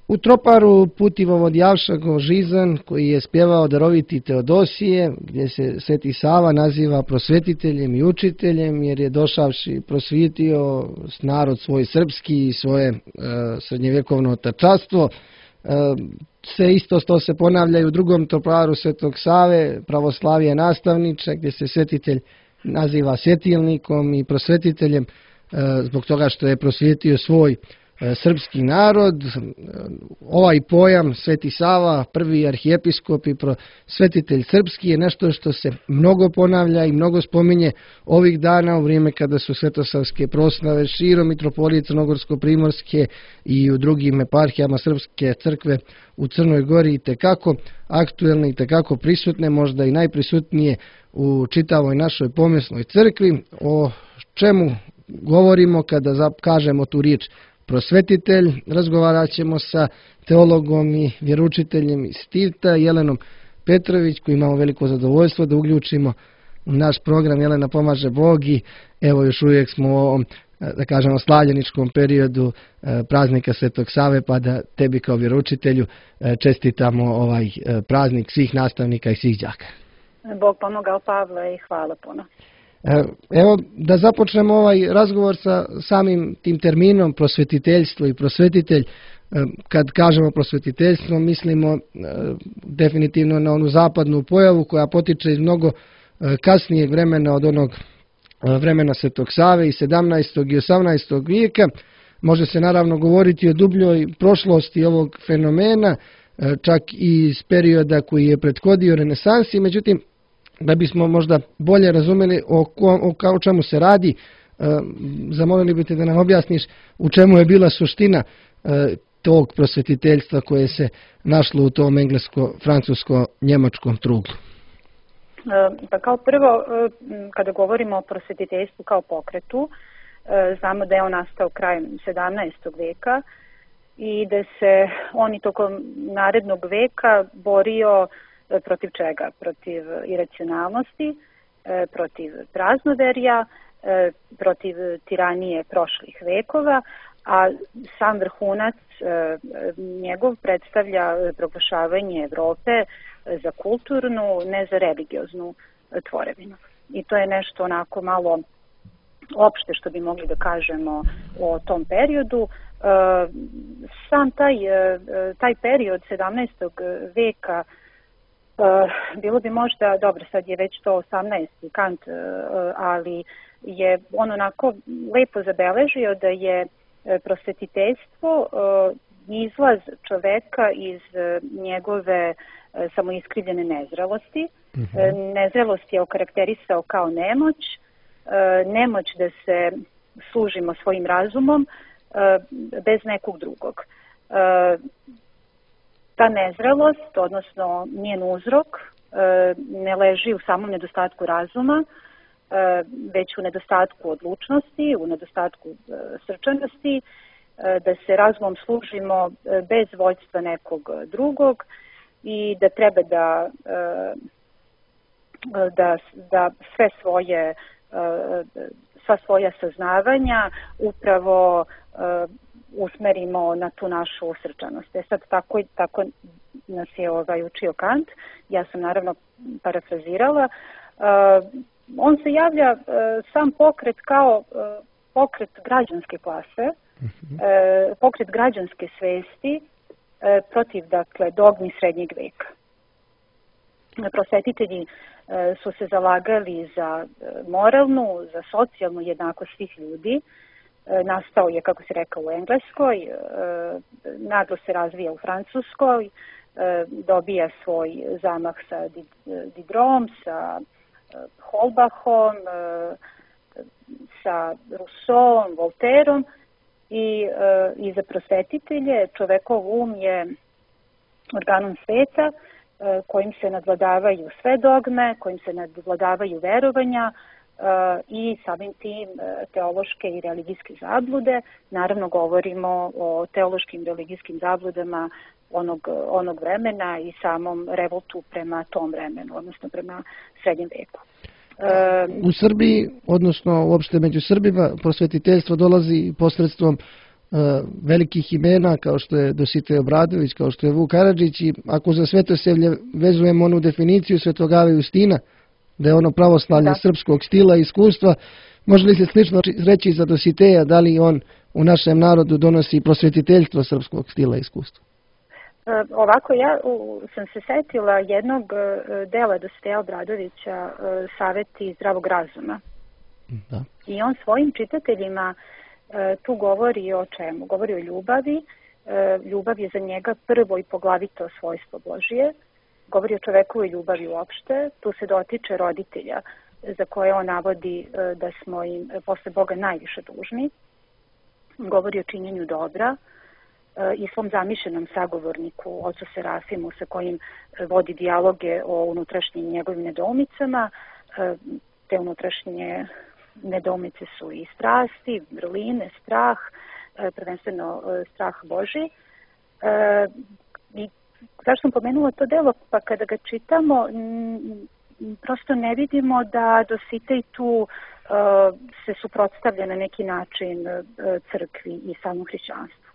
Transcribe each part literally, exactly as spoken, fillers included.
U Troparu putivovod Javšago Žizan, koji je spjevao daroviti Teodosije, gdje se Sveti Sava naziva prosvetiteljem i učiteljem, jer je došavši prosvjetio narod svoj srpski i svoje e, srednjevjekovno otačastvo. E, sve isto to se ponavlja i u drugom Troparu Svetog Save, pravoslavije nastavniče, gdje se svetitelj naziva svjetilnikom i prosvetiteljem e, zbog toga što je prosvjetio svoj srpski narod. Ovaj pojam Sveti Sava, prvi arhijepiskop i prosvetitelj srpski, je nešto što se mnogo ponavlja i mnogo spominje ovih dana u vrijeme kada su svetosavske proslave širom mitropolije Crnogorsko-primorske i u drugim eparhijama Srpske crkve u Crnoj Gori i tekako aktuelne i tekako prisutne, možda i najprisutnije u čitavoj našoj pomjesnoj crkvi. O čemu govorimo kada kažemo tu riječ prosvetitelj? Razgovarat ćemo sa teologom i vjeroučiteljem iz Tivta, Jelenom Petrović, koji imamo veliko zadovoljstvo da uključimo u naš program. Jelena, pomaže Bog i evo još uvijek smo u ovom, da kažemo, slavljeničkom periodu praznika Svetog Save, pa da tebi kao vjeroučitelju čestitamo ovaj praznik svih nastavnika i svih đaka. Bog pomogao, Pavle, i hvala puno. Evo da započnemo ovaj razgovor sa samim tim terminom prosvetiteljstvo i prosvetitelj. Kad kažemo prosvetiteljstvo, mislimo definitivno na onu zapadnu pojavu koja potiče iz mnogo kasnijeg vremena od onog vremena Svetog Save i sedamnaestog i osamnaestog vijeka. Može se naravno govoriti o dubljoj prošlosti ovog fenomena, čak i iz perioda koji je prethodio renesansi, međutim, da bismo možda bolje razumjeli o, o, o čemu se radi, e, zamolili bi te da nam objasniš u čemu je bila suština e, tog prosvetiteljstva koje se našlo u tom englesko-francusko-njemačkom truglu. Pa kao prvo, kada govorimo o prosvetiteljstvu kao pokretu, znamo da je on nastao krajem sedamnaestog vijeka i da se on i tokom narednog veka borio protiv čega? Protiv iracionalnosti, protiv praznoverja, protiv tiranije prošlih vekova, a sam vrhunac njegov predstavlja proglašavanje Evrope za kulturnu, ne za religioznu tvorevinu. I to je nešto onako malo opšte što bi mogli da kažemo o tom periodu. Sam taj, taj period sedamnaestog veka, bilo bi možda, dobro, sad je već to osamnaesti Kant, ali je on onako lepo zabeležio da je prosvetiteljstvo izlaz čoveka iz njegove samoiskrivljene nezrelosti. Mm-hmm. Nezrelost je okarakterisao kao nemoć, nemoć da se služimo svojim razumom bez nekog drugog. Ta nezrelost, odnosno njen uzrok, ne leži u samom nedostatku razuma, već u nedostatku odlučnosti, u nedostatku srčanosti, da se razumom služimo bez vođstva nekog drugog i da treba da, da, da sve svoje, sva svoja saznavanja upravo usmerimo na tu našu srčanost. E sad tako, tako nas je ovaj, učio Kant, ja sam naravno parafrazirala. On se javlja sam pokret kao pokret građanske klase, pokret građanske svesti protiv, dakle, dogmi srednjeg veka. Prosvetitelji su se zalagali za moralnu, za socijalnu jednakost svih ljudi. Nastao je, kako se rekao, u Engleskoj, naglo se razvija u Francuskoj, dobija svoj zamah sa Diderom, sa Holbachom, sa Rousseauom, Voltaireom i, i za prosvetitelje čovekov um je organom sveta kojim se nadvladavaju sve dogme, kojim se nadvladavaju verovanja i samim tim teološke i religijske zablude. Naravno govorimo o teološkim i religijskim zabludama onog, onog vremena i samom revoltu prema tom vremenu, odnosno prema srednjem veku. U Srbiji, odnosno uopšte među Srbima, prosvetiteljstvo dolazi posredstvom velikih imena kao što je Dositej Obradović, kao što je Vuk Karadžić, i ako za Svetosavlje vezujemo onu definiciju Svetog Justina, da je ono pravoslavlje da. srpskog stila i iskustva, može li se slično reći za Dositeja, da li on u našem narodu donosi prosvetiteljstvo srpskog stila i iskustva? E, ovako, ja u, sam se setila jednog dela Dositeja Obradovića, e, Saveti zdravog razuma. Da. I on svojim čitateljima e, tu govori o čemu? Govori o ljubavi. E, ljubav je za njega prvo i poglavito svojstvo Božije. Govori o čovekovoj ljubavi uopšte. Tu se dotiče roditelja, za koje on navodi e, da smo im posle Boga najviše dužni. Govori o činjenju dobra e, i svom zamišljenom sagovorniku, ocu Serafimu, sa kojim vodi dijaloge o unutrašnjim njegovim nedoumicama. E, te unutrašnje nedoumice su i strasti, vrline, strah, e, prvenstveno e, strah Boži. E, I zašto sam pomenula to delo? Pa kada ga čitamo, m, prosto ne vidimo da Dositej tu uh, se suprotstavlja na neki način uh, crkvi i samom hrišćanstvu.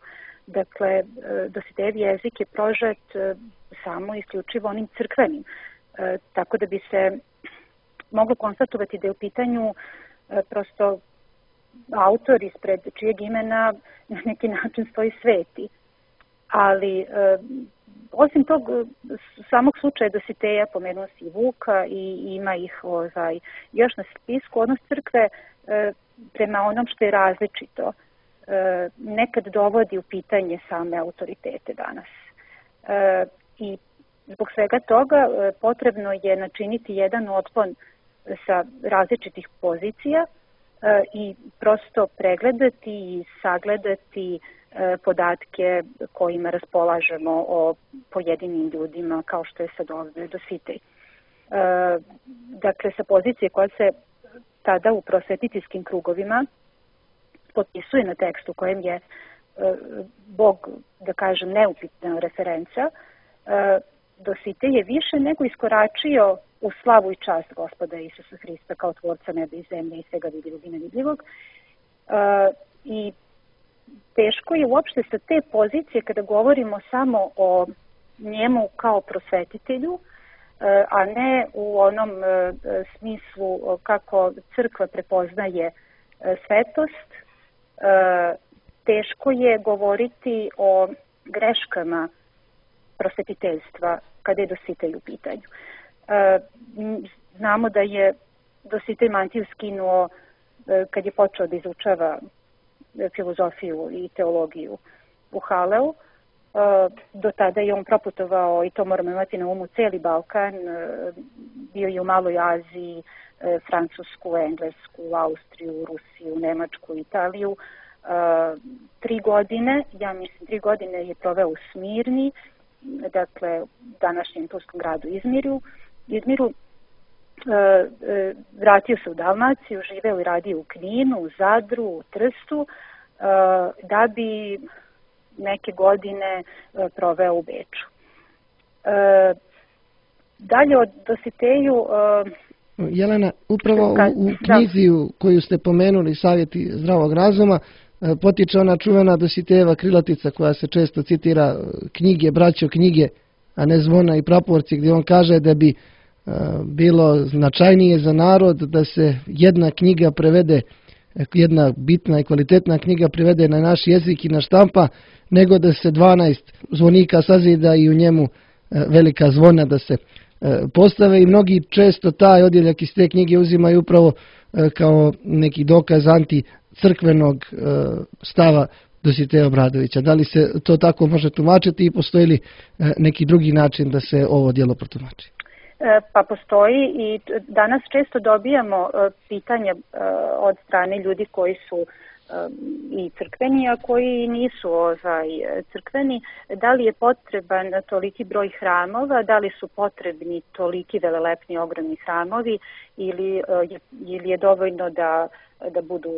Dakle, uh, Dositejev jezik je prožet uh, samo isključivo onim crkvenim. Uh, tako da bi se moglo konstatovati da je u pitanju uh, prosto autor ispred čijeg imena na neki način stoji sveti. Ali uh, osim tog samog slučaja Dositeja, pomenuo si i Vuka i ima ih ovaj, još na spisku, odnos crkve e, prema onom što je različito e, nekad dovodi u pitanje same autoritete danas. E, I zbog svega toga e, potrebno je načiniti jedan otklon sa različitih pozicija e, i prosto pregledati i sagledati podatke kojima raspolažemo o pojedinim ljudima, kao što je sad ovdje Dositej. E, dakle, sa pozicije koja se tada u prosvetiteljskim krugovima potpisuje na tekstu kojem je e, Bog, da kažem, neupitna referenca, e, Dositej je više nego iskoračio u slavu i čast Gospoda Isusa Hrista kao tvorca neba i zemlje i svega vidljivog i nevidljivog. E, I teško je uopšte sa te pozicije, kada govorimo samo o njemu kao prosvetitelju, a ne u onom smislu kako crkva prepoznaje svetost, teško je govoriti o greškama prosvetiteljstva kada je Dositej u pitanju. Znamo da je Dositej mantiju skinuo kad je počeo da izučava filozofiju i teologiju u Haleu. Do tada je on proputovao, i to moramo imati na umu, celi Balkan, bio je u Maloj Aziji, Francusku, Englesku, Austriju, Rusiju, Nemačku, Italiju. Tri godine, ja mislim, tri godine je proveo u Smirni, dakle, današnjem turskom gradu Izmiru. Izmiru vratio se u Dalmaciju, živeo i radio u Kninu, u Zadru, u Trstu, da bi neke godine proveo u Beču. Dalje od Dositeju... Jelena, upravo u, u knjizi koju ste pomenuli, Savjeti zdravog razuma, potiče ona čuvena Dositejeva krilatica koja se često citira, knjige, braćo, knjige, a ne zvona i praporci, gdje on kaže da bi bilo značajnije za narod da se jedna knjiga prevede, jedna bitna i kvalitetna knjiga prevede na naš jezik i na štampa, nego da se dvanaest zvonika sazida i u njemu velika zvona da se postave, i mnogi često taj odjeljak iz te knjige uzimaju upravo kao neki dokaz anticrkvenog stava Dositeja Obradovića. Da li se to tako može tumačiti i postoji li neki drugi način da se ovo djelo protumači? Pa postoji, i danas često dobijamo pitanja od strane ljudi koji su i crkveni, a koji nisu ovaj, crkveni, da li je potreban toliki broj hramova, da li su potrebni toliki velelepni ogromni hramovi, ili je, ili je dovoljno da, da budu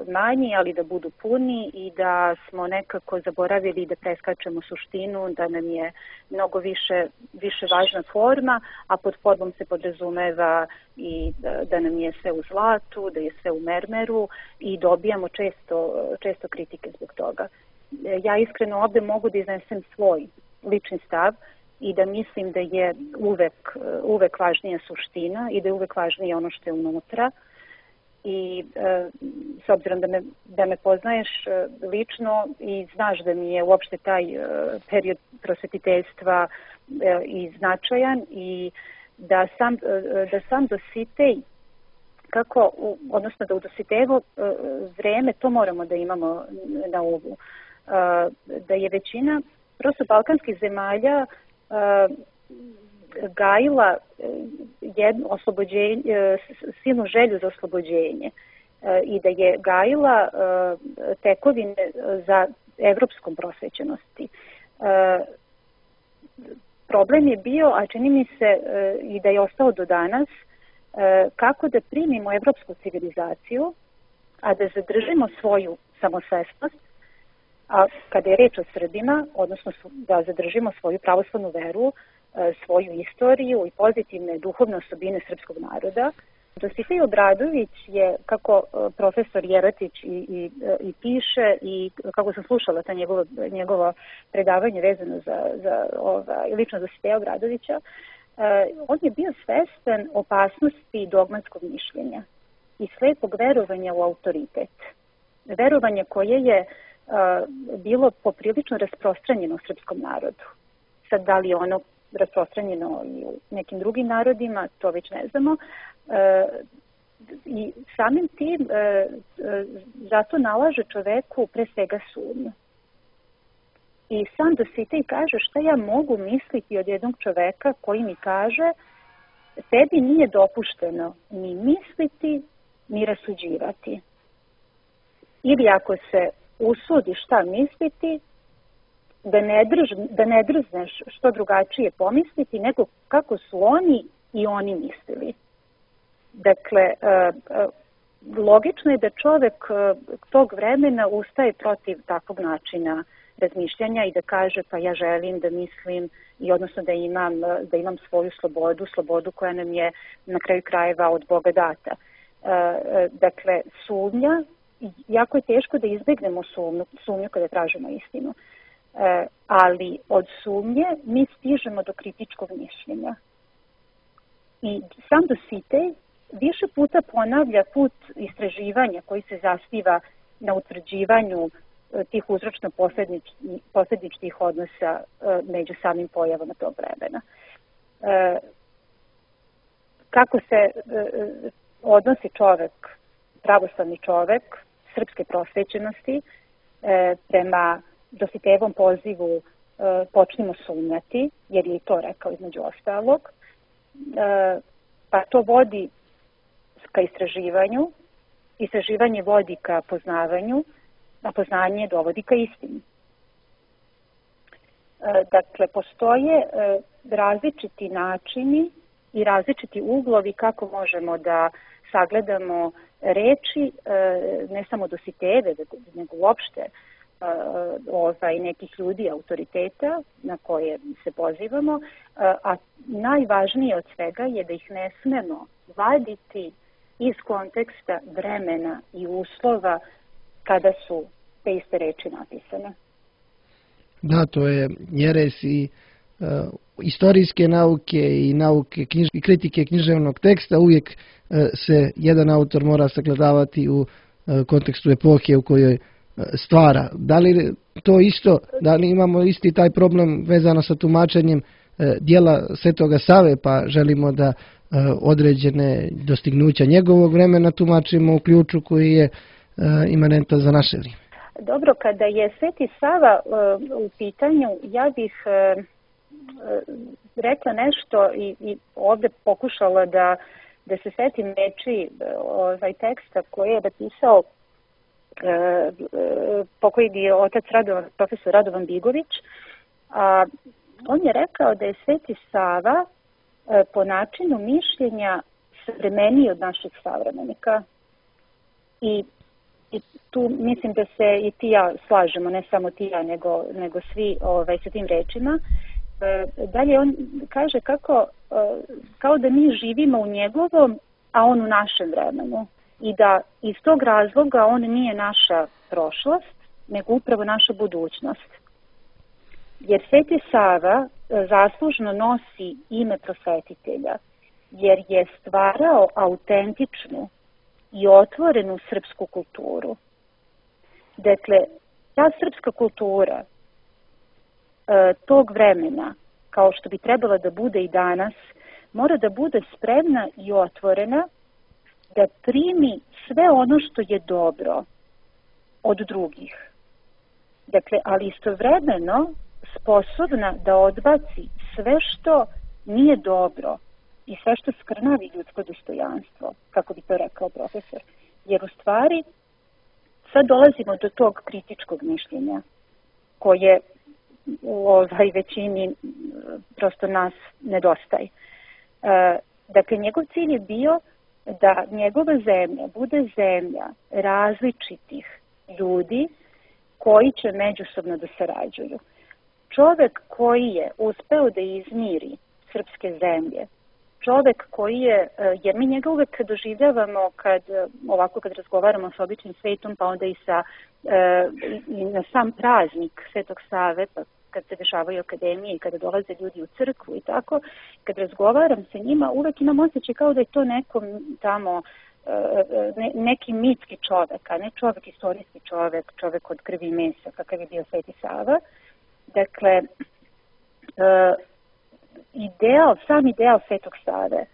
manji, ali da budu puni, i da smo nekako zaboravili da preskačemo suštinu, da nam je mnogo više, više važna forma, a pod formom se podrazumeva i da, da nam je sve u zlatu, da je sve u mermeru, i dobijamo često, često kritike zbog toga. ja iskreno ovde mogu da iznesem svoj lični stav i da mislim da je uvek, uvek važnija suština i da je uvek važnije ono što je unutra. I e, s obzirom da me, da me poznaješ e, lično i znaš da mi je uopšte taj e, period prosvetiteljstva e, i značajan i da sam, e, da sam Dositej, kako, odnosno da u Dositejevo e, vreme, to moramo da imamo na umu, e, da je većina prosto balkanskih zemalja e, gajila jednu oslobođenje, silnu želju za oslobođenje i da je gajila tekovine za evropskom prosvećenosti. Problem je bio, a čini mi se i da je ostao do danas, kako da primimo evropsku civilizaciju, a da zadržimo svoju samosvesnost, a kada je reč o Srbima, odnosno da zadržimo svoju pravoslavnu veru, svoju istoriju i pozitivne duhovne osobine srpskog naroda. Dositej Obradović je, kako profesor Jeratić i, i, i piše i kako sam slušala ta njegovo, njegovo predavanje vezano za, za ova, lično Dositeja Obradovića, on je bio svestan opasnosti dogmatskog mišljenja i slepog verovanja u autoritet. Verovanje koje je bilo poprilično rasprostranjeno u srpskom narodu. Sad, da li ono rasprostranjeno i u nekim drugim narodima, to već ne znamo. E, I samim tim e, e, zato nalaže čoveku pre svega sumnju. I sam Dositej kaže šta ja mogu misliti od jednog čoveka koji mi kaže tebi nije dopušteno ni misliti, ni rasuđivati. Ili ako se usudi šta misliti, da ne, drž, da ne drzneš što drugačije pomisliti nego kako su oni i oni mislili. Dakle, logično je da čovek tog vremena ustaje protiv takvog načina razmišljanja i da kaže pa ja želim da mislim i odnosno da imam, da imam svoju slobodu, slobodu koja nam je na kraju krajeva od Boga data. Dakle, sumnja, jako je teško da izbegnemo sumnju, sumnju kada tražimo istinu. E, ali od sumnje mi stižemo do kritičkog mišljenja. I sam Dositej više puta ponavlja put istraživanja koji se zasniva na utvrđivanju tih uzročno-posledičnih odnosa e, među samim pojavama tog vremena. E, kako se e, odnosi čovek, pravoslavni čovek, srpske prosvećenosti e, prema Dositejevom pozivu e, počnimo sumnjati, jer je i to rekao između ostalog, e, pa to vodi ka istraživanju, istraživanje vodi ka poznavanju, a poznanje dovodi ka istini. E, dakle, postoje e, različiti načini i različiti uglovi kako možemo da sagledamo reči, e, ne samo Dositejeve, nego uopšte ovaj, nekih ljudi, autoriteta na koje se pozivamo, a najvažnije od svega je da ih ne smemo vaditi iz konteksta vremena i uslova kada su te iste reči napisane. Da, to je jeres i uh, istorijske nauke i nauke knjiž, i kritike književnog teksta. Uvijek uh, se jedan autor mora sagledavati u uh, kontekstu epohe u kojoj stvara. Da li to isto, da li imamo isti taj problem vezano sa tumačenjem e, dijela Svetoga Save, pa želimo da e, određene dostignuća njegovog vremena tumačimo u ključu koji je e, imanentan za naše vrijeme? Dobro, kada je Sveti Sava e, u pitanju, ja bih e, e, rekla nešto i, i ovdje pokušala da, da se setim reči ovaj teksta koji je napisao pokojni je otac Radovan, profesor Radovan Bigović. A, on je rekao da je Sveti Sava e, po načinu mišljenja savremeniji od naših savremenika. I, i tu mislim da se i ti ja slažemo, ne samo ti ja, nego, nego svi ovaj, sa tim rečima. E, dalje on kaže kako, e, kao da mi živimo u njegovom, a on u našem vremenu. I da iz tog razloga on nije naša prošlost, nego upravo naša budućnost. Jer Sveti Sava zaslužno nosi ime prosvetitelja, jer je stvarao autentičnu i otvorenu srpsku kulturu. Dakle, ta srpska kultura e, tog vremena, kao što bi trebala da bude i danas, mora da bude spremna i otvorena da primi sve ono što je dobro od drugih. Dakle, ali istovremeno sposobna da odbaci sve što nije dobro i sve što skrnavi ljudsko dostojanstvo, kako bi to rekao profesor. Jer u stvari sad dolazimo do tog kritičkog mišljenja koje u ovaj većini prosto nas nedostaje. E, dakle, njegov cilj je bio da njegova zemlja bude zemlja različitih ljudi koji će međusobno da sarađuju. Čovek koji je uspeo da izmiri srpske zemlje, čovek koji je, jer mi njega uvek doživljavamo kad, ovako kad razgovaramo s običnim svetom, pa onda i, sa, i na sam praznik Svetog Save, pa kad se dešavaju akademije i kada dolaze ljudi u crkvu i tako, kad razgovaram sa njima, uvek imam osjećaj kao da je to neko tamo, ne, neki mitski čovek, a ne čovek, istorijski čovek, čovek od krvi i mesa, kakav je bio Sveti Sava. Dakle, ideal, sam ideal Svetog Save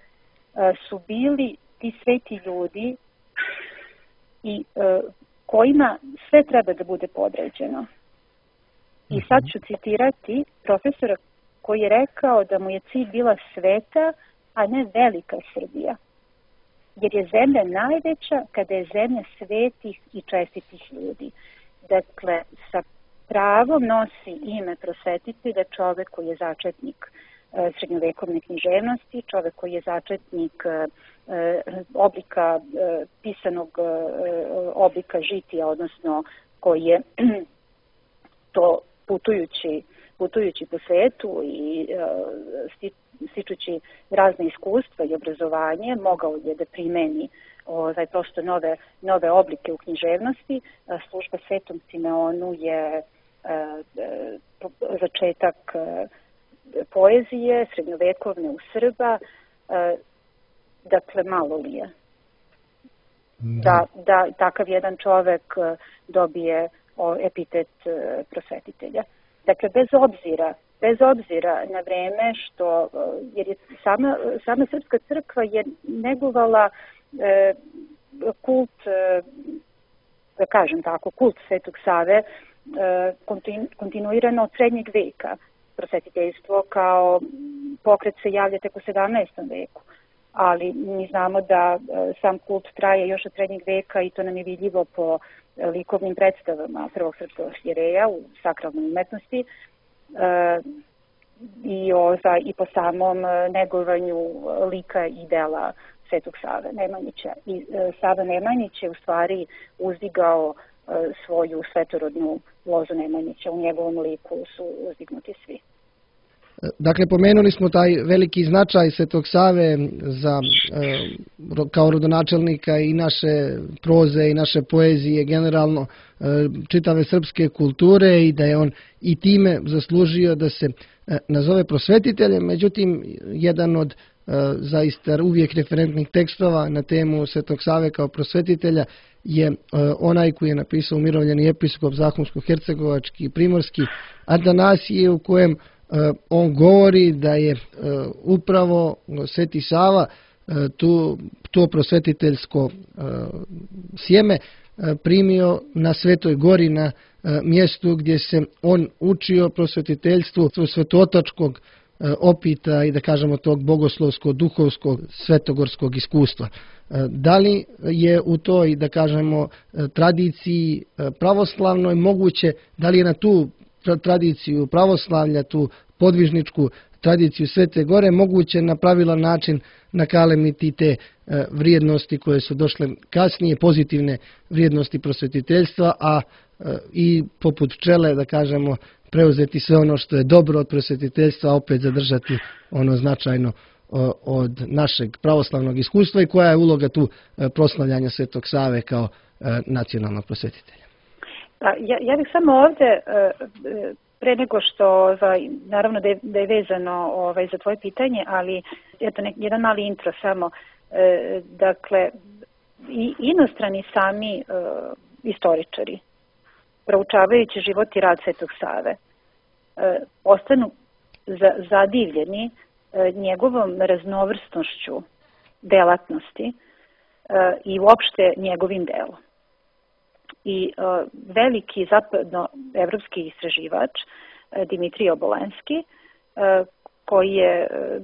su bili ti sveti ljudi i kojima sve treba da bude podređeno. I sad ću citirati profesora koji je rekao da mu je cilj bila sveta, a ne velika Srbija. Jer je zemlja najveća kada je zemlja svetih i čestitih ljudi. Dakle, sa pravom nosi ime prosvetitelja čovek koji je začetnik e, srednjovekovne književnosti, čovek koji je začetnik e, oblika, e, pisanog e, oblika žitija, odnosno koji je to putujući, putujući po svetu i e, stičući razne iskustva i obrazovanje, mogao je da primeni ovaj, prosto nove, nove oblike u književnosti. Služba Svetom Simeonu je začetak poezije, srednjovekovne u Srba, dakle malo li je da, da takav jedan čovek dobije epitet prosvetitelja. Dakle, bez obzira, bez obzira na vreme što, jer je sama, sama Srpska crkva je negovala e, kult, e, da kažem tako, kult Svetog Save, kontinuirano od srednjeg veka. Prosvetiteljstvo kao pokret se javlja tek u sedamnaestom veku, ali mi znamo da sam kult traje još od srednjeg veka i to nam je vidljivo po likovnim predstavama prvog srpskog arhijereja u sakralnoj umetnosti i, o, i po samom negovanju lika i dela Svetog Save Nemanjića. I Sava Nemanjić je u stvari uzdigao svoju svetorodnu lozu Nemanjića. U njegovom liku su uzdignuti svi. Dakle, pomenuli smo taj veliki značaj Svetog Save za, kao rodonačelnika i naše proze i naše poezije, generalno čitave srpske kulture, i da je on i time zaslužio da se nazove prosvetiteljem. Međutim, jedan od zaista uvijek referentnih tekstova na temu Svetog Save kao prosvetitelja je onaj koji je napisao umirovljeni episkop Zahumsko-hercegovački i primorski Atanasije, u kojem on govori da je upravo Sveti Sava tu, to prosvetiteljsko sjeme primio na Svetoj Gori, na mjestu gdje se on učio prosvetiteljstvu svetotačkog opita i da kažemo tog bogoslovskog, duhovskog, svetogorskog iskustva. Da li je u toj, da kažemo, tradiciji pravoslavnoj moguće, da li je na tu tradiciju pravoslavlja, tu podvižničku tradiciju Svete Gore moguće na pravilan način nakalemiti te vrijednosti koje su došle kasnije, pozitivne vrijednosti prosvetiteljstva, a i poput pčele, da kažemo, preuzeti sve ono što je dobro od prosvetiteljstva, a opet zadržati ono značajno od našeg pravoslavnog iskustva, i koja je uloga tu proslavljanja Svetog Save kao nacionalnog prosvetitelja? Ja, ja bih samo ovde, pre nego što, ovaj, naravno da je, da je vezano ovaj, za tvoje pitanje, ali eto, nek, jedan mali intro samo. E, dakle, i inostrani sami e, istoričari, proučavajući život i rad Svetog Save, e, ostanu za, zadivljeni e, njegovom raznovrsnošću delatnosti e, i uopšte njegovim delom. I uh, veliki zapadnoevropski istraživač uh, Dimitrij Obolenski, uh, koji je uh,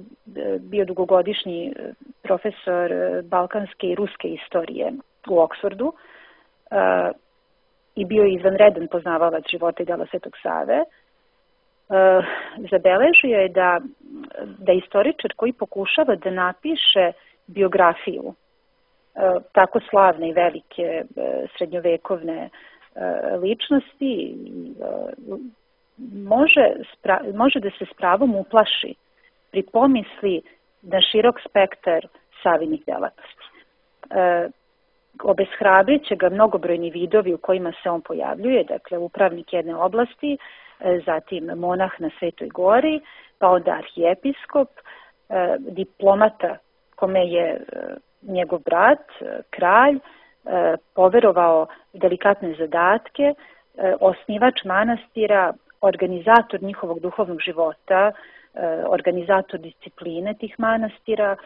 bio dugogodišnji profesor uh, balkanske i ruske istorije u Oksfordu uh, i bio je izvanredan poznavalac života i dela Svetog Save, uh, zabeležio je da, da istoričar koji pokušava da napiše biografiju tako slavne i velike srednjovekovne ličnosti može, može da se s pravom uplaši pri pomisli na širok spektar Savinih delatnosti. Obeshrabrit će ga mnogobrojni vidovi u kojima se on pojavljuje, dakle upravnik jedne oblasti, zatim monah na Svetoj gori, pa onda arhijepiskop, diplomata kome je njegov brat, kralj, poverovao delikatne zadatke, osnivač manastira, organizator njihovog duhovnog života, organizator discipline tih manastira,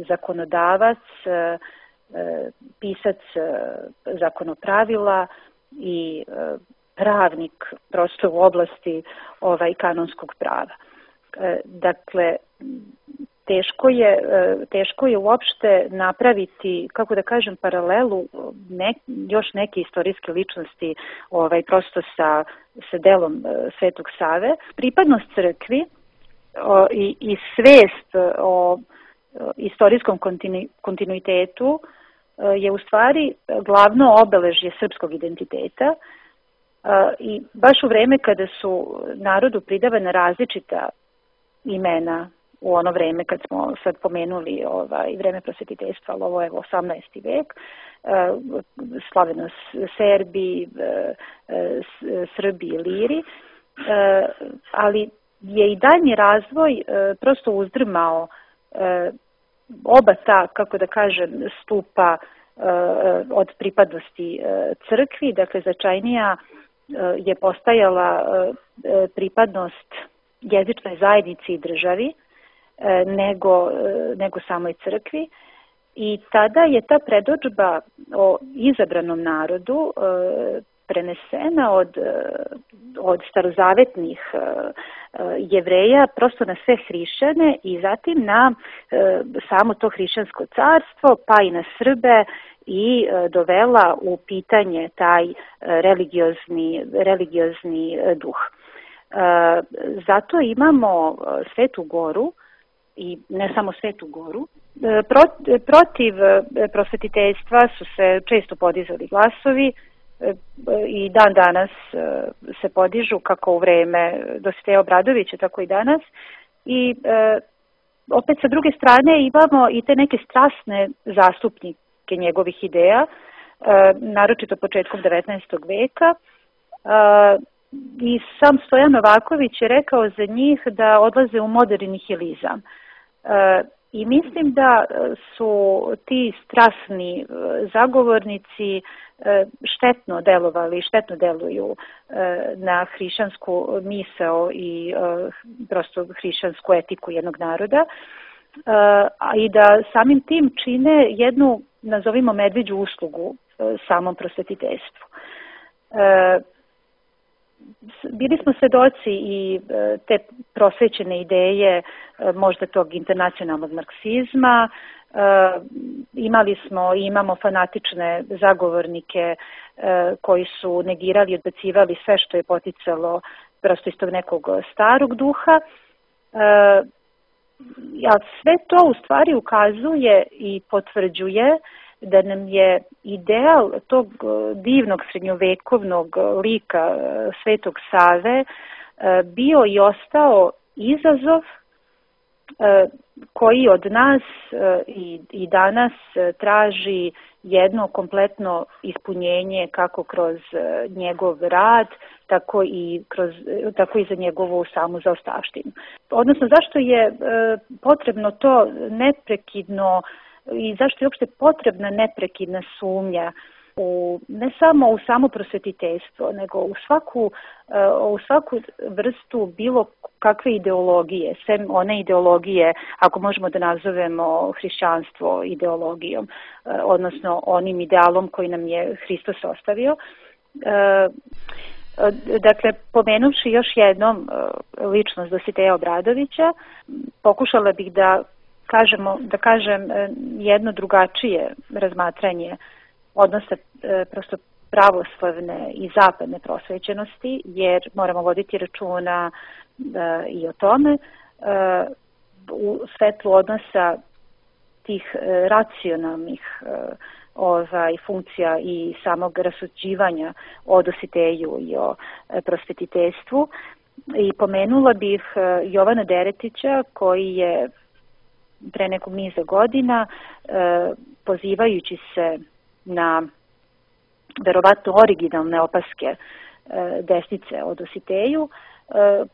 zakonodavac, pisac zakonopravila i pravnik prosto u oblasti ovaj, kanonskog prava. Dakle, Teško je, teško je uopšte napraviti, kako da kažem, paralelu ne, još neke istorijske ličnosti ovaj, prosto sa, sa delom Svetog Save. Pripadnost crkvi o, i, i svest o istorijskom kontinu, kontinuitetu je u stvari glavno obeležje srpskog identiteta i baš u vreme kada su narodu pridavana različita imena, u ono vreme kad smo sad pomenuli ovaj, vreme prosvetiteljstva, ali ovo je osamnaesti vek, slaveno Serbi, Srbi i Liri, ali je i daljnji razvoj prosto uzdrmao oba ta, kako da kažem, stupa od pripadnosti crkvi, dakle značajnija je postajala pripadnost jezičnoj zajednici i državi, nego, nego samoj crkvi i tada je ta predodžba o izabranom narodu prenesena od, od starozavetnih Jevreja prosto na sve hrišćane i zatim na samo to hrišćansko carstvo pa i na Srbe i dovela u pitanje taj religiozni, religiozni duh. Zato imamo Svetu Goru i ne samo Svetu Goru. Protiv prosvetiteljstva su se često podizali glasovi i dan danas se podižu kako u vreme Dositeja Obradovića, tako i danas. I opet sa druge strane imamo i te neke strasne zastupnike njegovih ideja, naročito početkom devetnaestog veka. I sam Stojan Novaković je rekao za njih da odlaze u moderni nihilizam. I mislim da su ti strasni zagovornici štetno delovali, štetno deluju na hrišćansku misao i prosto hrišćansku etiku jednog naroda, a i da samim tim čine jednu, nazovimo, medveđu uslugu samom prosvetiteljstvu. Bili smo svedoci i te prosvećene ideje možda tog internacionalnog marksizma, imali smo i imamo fanatične zagovornike koji su negirali i odbacivali sve što je poticalo prosto iz tog nekog starog duha, a sve to u stvari ukazuje i potvrđuje da nam je ideal tog divnog srednjovekovnog lika Svetog Save bio i ostao izazov koji od nas i, i danas traži jedno kompletno ispunjenje kako kroz njegov rad, tako i, kroz, tako i za njegovu samu zaostavštinu. Odnosno, zašto je potrebno to neprekidno i zašto je uopšte potrebna neprekidna sumnja u, ne samo u samo prosvetiteljstvo, nego u svaku, u svaku vrstu bilo kakve ideologije, sem one ideologije, ako možemo da nazovemo hrišćanstvo ideologijom, odnosno onim idealom koji nam je Hristos ostavio. Dakle, pomenuvši još jednom ličnost Dositeja Obradovića, pokušala bih da kažemo, da kažem jedno drugačije razmatranje odnosa prosto pravoslavne i zapadne prosvećenosti, jer moramo voditi računa i o tome u svetlu odnosa tih racionalnih ovaj, funkcija i samog rasuđivanja o Dositeju i o prosvetiteljstvu. I pomenula bih Jovana Deretića, koji je pre nekog niza godina, pozivajući se na verovatno originalne opaske desnice o Dositeju,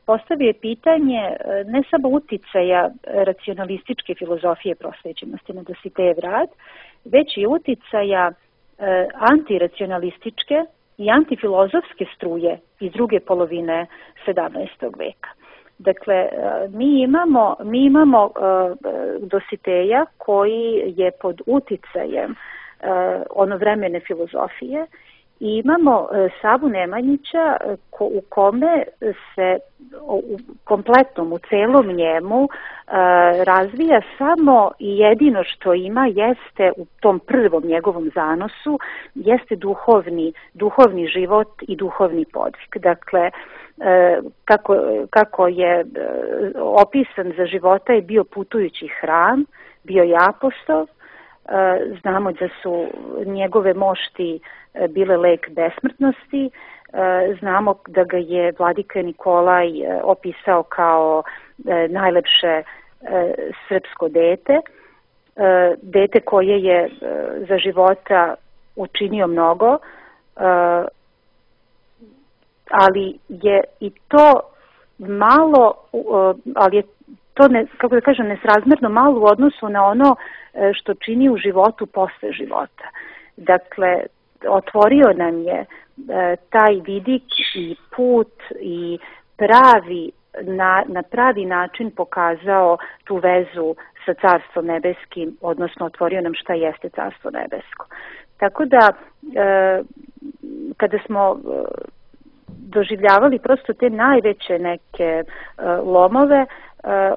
postavio je pitanje ne samo uticaja racionalističke filozofije prosvećenosti na Dositejev rad, već i uticaja antiracionalističke i antifilozofske struje iz druge polovine sedamnaestog veka. Dakle, mi imamo, mi imamo uh, Dositeja koji je pod uticajem uh, onovremene filozofije i imamo uh, Savu Nemanjića ko, u kome se u kompletnom, u celom njemu uh, razvija samo i jedino što ima jeste u tom prvom njegovom zanosu jeste duhovni, duhovni život i duhovni podvig. Dakle, Kako, kako je opisan za života je bio putujući hram, bio je apostol, znamo da su njegove mošti bile lek besmrtnosti, znamo da ga je vladika Nikolaj opisao kao najlepše srpsko dete, dete koje je za života učinio mnogo, ali je i to malo, ali je to, ne, kako da kažem, nesrazmerno malo u odnosu na ono što čini u životu posle života. Dakle, otvorio nam je taj vidik i put i pravi, na, na pravi način pokazao tu vezu sa Carstvom nebeskim, odnosno otvorio nam šta jeste Carstvo nebesko. Tako da, kada smo doživljavali prosto te najveće neke uh, lomove, uh,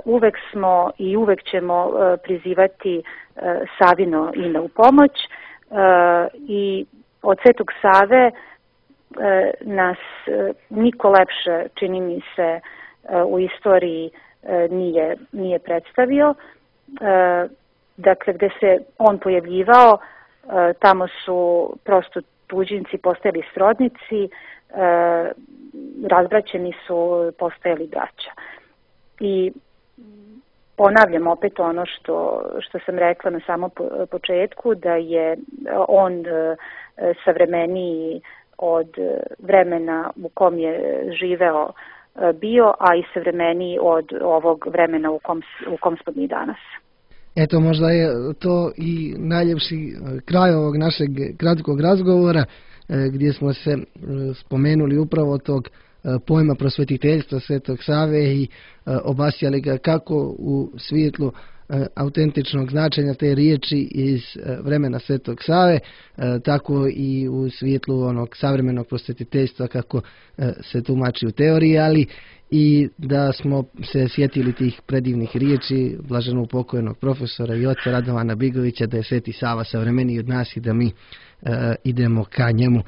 uvek smo i uvek ćemo uh, prizivati uh, Savino ime u pomoć uh, i od Svetog Save uh, nas uh, niko lepše, čini mi se, uh, u istoriji uh, nije, nije predstavio. Uh, dakle, gde se on pojavljivao, uh, tamo su prosto tuđinci postajali srodnici, E, razbraćeni su postajali braća. I ponavljam opet ono što, što sam rekla na samom početku, da je on e, savremeniji od vremena u kom je živeo e, bio, a i savremeniji od ovog vremena u kom, u kom smo mi danas. Eto, možda je to i najljepši kraj ovog našeg kratkog razgovora, gdje smo se spomenuli upravo tog pojma prosvetiteljstva Svetog Save i obasjali ga kako u svjetlu autentičnog značenja te riječi iz vremena Svetog Save, tako i u svjetlu onog savremenog prosvetiteljstva kako se tumači u teoriji, ali i da smo se sjetili tih predivnih riječi blaženog pokojnog profesora i oca Radovana Bigovića, da je Sveti Sava savremeniji od nas i da mi uh, idemo ka njemu.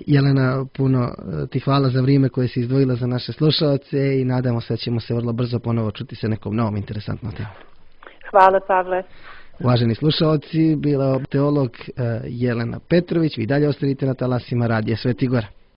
Jelena, puno ti hvala za vrijeme koje si izdvojila za naše slušalce i nadamo se da ćemo se vrlo brzo ponovo čuti sa nekom novom interesantnom temom. Hvala, Pavle. Uvaženi slušalci, bila teolog uh, Jelena Petrović, vi dalje ostavite na talasima Radija Sveti Gora.